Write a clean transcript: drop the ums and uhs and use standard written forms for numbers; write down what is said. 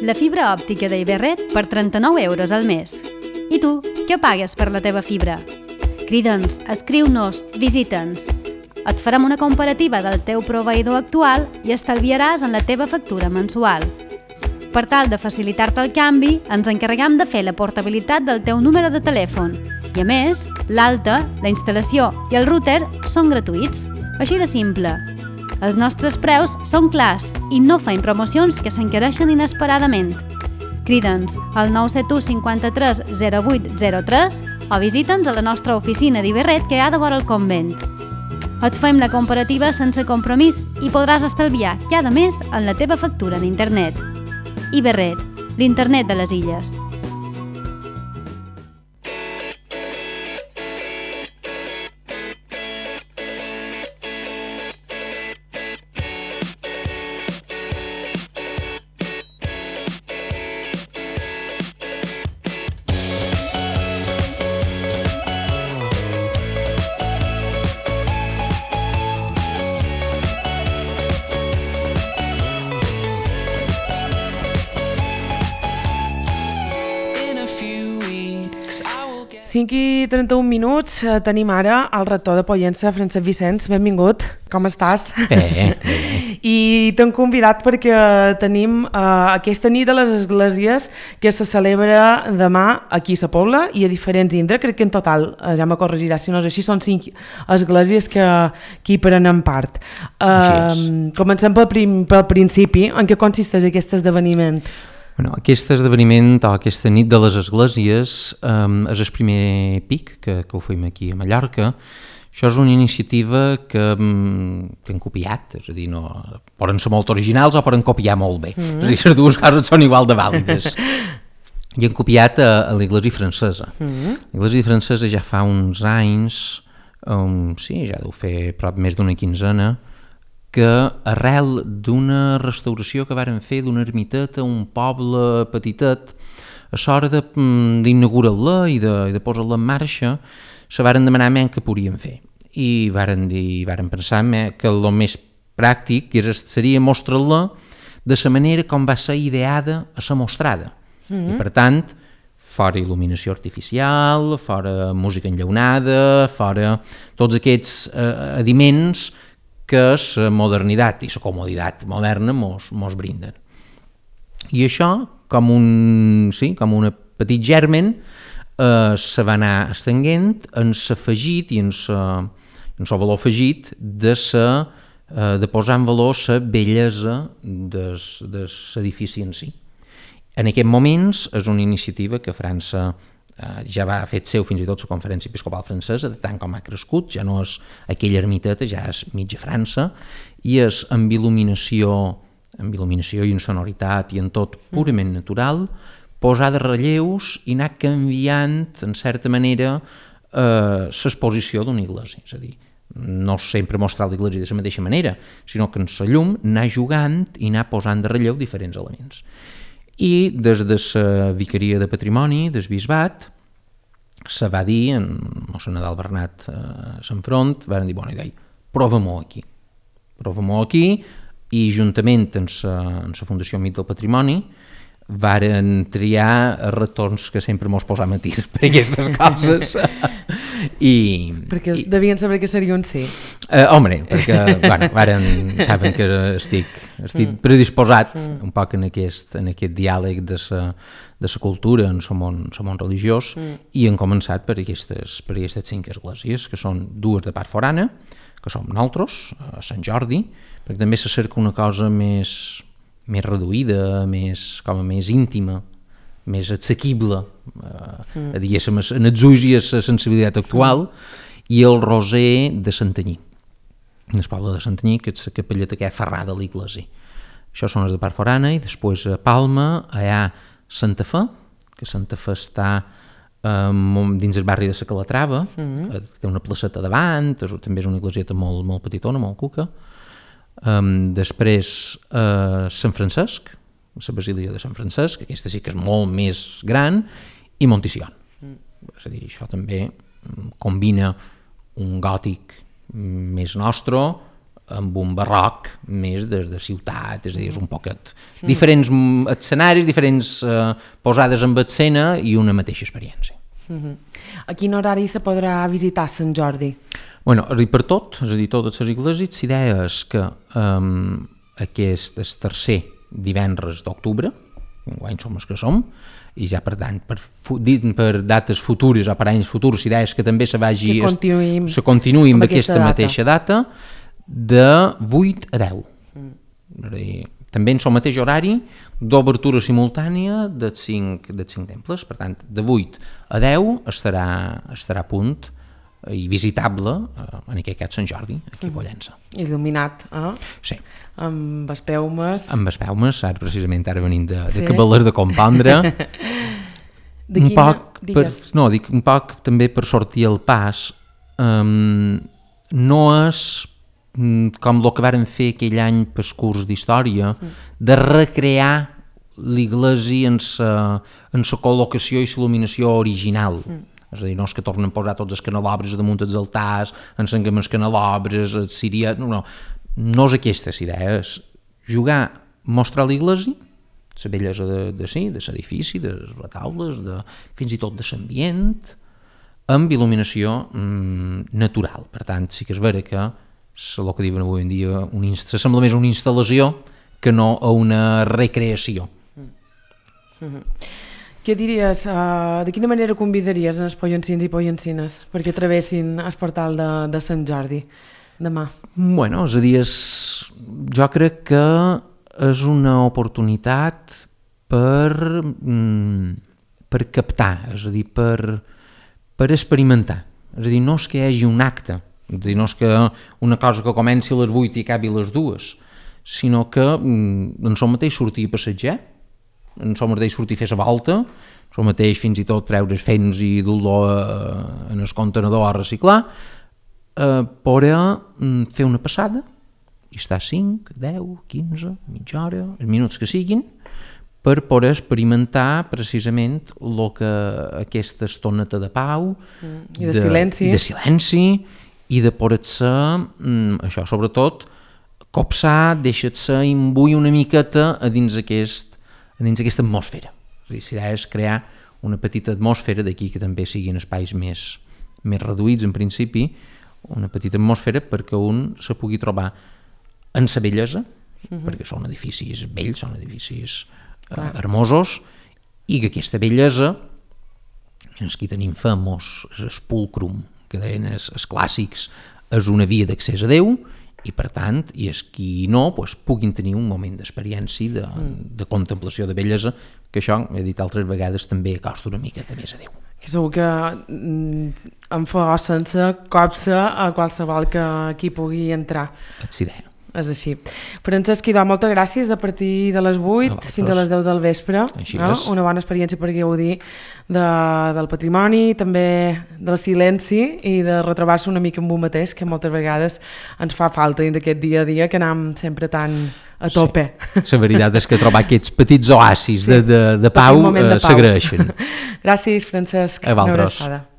La fibra òptica d'Iberret per 39 € al mes. I tu, què pagues per la teva fibra? Crida'ns, escriu-nos, visita'ns. Et farem una comparativa del teu proveïdor actual i estalviaràs en la teva factura mensual. Per tal de facilitar-te el canvi, ens encarregam de fer la portabilitat del teu número de telèfon. I a més, l'alta, la instal·lació i el router són gratuïts. Així de simple. Els nostres preus són clars i no fem promocions que s'encareixen inesperadament. Crida'ns al 971 53 0803 o visita'ns a la nostra oficina d'Iberret que hi ha de vora el convent. Et fem la comparativa sense compromís i podràs estalviar cada mes en la teva factura d'internet. Iberret, l'internet de les illes. I 31 minuts, tenim ara el rector de Pollença, Francesc Vicenç, benvingut, com estàs? Bé. I t'hem convidat perquè tenim aquesta nit de les esglésies que se celebra demà aquí a Sa Pobla i a diferents indrets, crec que en total, ja me corregiràs si no és així, són 5 esglésies que hi prenen part. Comencem pel principi, en què consisteix aquest esdeveniment? Bueno, aquest esdeveniment o aquesta nit de les esglésies és el primer pic que ho fem aquí a Mallorca. Això és una iniciativa que hem copiat, és a dir, poden ser molt originals o poden copiar molt bé. És a dir, les dues coses són igual de vàlides. I hem copiat a l'Església francesa. L'Església francesa ja fa uns anys, sí, ja deu fer prop més d'una quinzena, que arrel d'una restauració que varen fer d'una ermiteta a un poble petitet, a l'hora d'inaugurar-la i de posar-la en marxa, se varen demanar què podien fer. I varen pensar que el més pràctic seria mostrar-la de la manera com va ser ideada a ser mostrada. I per tant, fora il·luminació artificial, fora música enllaunada, fora tots aquests adiments que la modernitat i la comoditat moderna mos brinden. I això, com un petit germen, se va anar estenguent en l'afegit i en el valor afegit de posar en valor la bellesa de l'edifici en si. En aquests moments és una iniciativa que França ja va fet seu fins i tot la Conferència Episcopal Francesa, de tant com ha crescut, ja no és aquella ermiteta, ja és mitja França, i és amb il·luminació i en sonoritat i en tot purament natural, posar de relleus i anar canviant, en certa manera, l'exposició d'una església. És a dir, no sempre mostrar l'església de la mateixa manera, sinó que en la llum anar jugant i anar posant de relleu diferents elements. I des de la Vicaria de Patrimoni del Bisbat se va dir, en mossèn Nadal Bernat a l'enfront, van dir, prova-m'ho aquí, i juntament amb la Fundació Amic del Patrimoni varen triar retorns que sempre mos posam a tir per aquestes coses. Perquè devien saber que seria un sí. Home, perquè saben que estic predisposat un poc en aquest diàleg de la cultura en el món religiós, i hem començat per aquestes 5 esglésies, que són 2 de part forana, que som nosaltres, a Sant Jordi, perquè també se cerca una cosa més reduïda, més íntima, més assequible, diguéssim, en els ulls i a la sensibilitat actual, i el Roser de Santanyí, en el poble de Santanyí, que és la capelleta que hi ha ferrada a l'església. Això són les de part forana, i després a Palma hi ha Santa Fe, que Santa Fe està dins el barri de la Calatrava, té una placeta davant, també és una iglesieta molt, molt petitona, molt cuca. Després Sant Francesc, la Basílica de Sant Francesc, aquesta sí que és molt més gran, i Montitxion. És a dir, això també combina un gòtic més nostre amb un barroc més de ciutat, és a dir, és un poquet diferents escenaris, diferents posades en escena i una mateixa experiència. A quin horari se podrà visitar Sant Jordi? Bueno, és a dir, per tot, és a dir, totes les iglesias, l'idea és que aquest és tercer divendres d'octubre, enguany som els que som, i ja per tant, per dates futures o per anys futurs, l'idea és que també se continuï amb aquesta mateixa data de 8 a 10. És a dir, també en el mateix horari d'obertura simultània dels 5 temples, per tant, de 8 a 10 estarà a punt i visitable en aquest cas Sant Jordi, aquí a Pollença. Il·luminat, Sí. Amb espelmes. Amb espelmes, precisament ara venim de acabar de compondre. Un poc també per sortir al pas, no és com el que varen fer aquell any pel curs d'història, de recrear l'església en la col·locació i l'il·luminació original. És a dir, no és que tornen a posar tots els canelobres damunt dels altars, encenguem els canelobres, no és aquesta la idea, és jugar, mostrar l'església, la bellesa de l'edifici, de les retaules, fins i tot de l'ambient, amb il·luminació natural. Per tant, sí que és vera que el que diuen avui en dia sembla més una instal·lació que no a una recreació. Què diries, de quina manera convidaries els pollencins i pollencines perquè travessin el portal de Sant Jordi demà? Bueno, és a dir, jo crec que és una oportunitat per captar, és a dir, per experimentar. És a dir, no és que hi hagi un acte, és a dir, no és que una cosa que comenci a les 8 i acabi a les 2, sinó que en el mateix sortir a passejar, en el mateix sortir a fer la volta, en el mateix fins i tot treure fens i dur-lo en el contenedor a reciclar, poder fer una passada i estar 5, 10, 15, mitja hora, els minuts que siguin, per poder experimentar precisament el que aquesta estoneta de pau i de silenci i de poder-se, això sobretot, copsar, deixar-se imbuir una miqueta a dins aquesta atmosfera. És a dir, l'idea és crear una petita atmosfera, d'aquí que també siguin espais més reduïts en principi, una petita atmosfera perquè un se pugui trobar en la bellesa, perquè són edificis bells, són edificis hermosos, i que aquesta bellesa, aquí tenim famós el pulcrum, que deien els clàssics, és una via d'accés a Déu, i per tant, i els qui no, puguin tenir un moment d'experiència, de contemplació de bellesa, que això, he dit altres vegades, també acosta una miqueta més a Déu. Que segur que em fa sense copsa a qualsevol que aquí pugui entrar. És idea. És així. Francesc Idò, moltes gràcies a partir de les 8 fins a les 10 del vespre. Una bona experiència per gaudir del patrimoni, també del silenci i de retrobar-se una mica amb un mateix, que moltes vegades ens fa falta dins aquest dia a dia que anem sempre tan a tope. La veritat és que trobar aquests petits oasis de pau s'agraeixen. Gràcies, Francesc. A vosaltres. Una abraçada.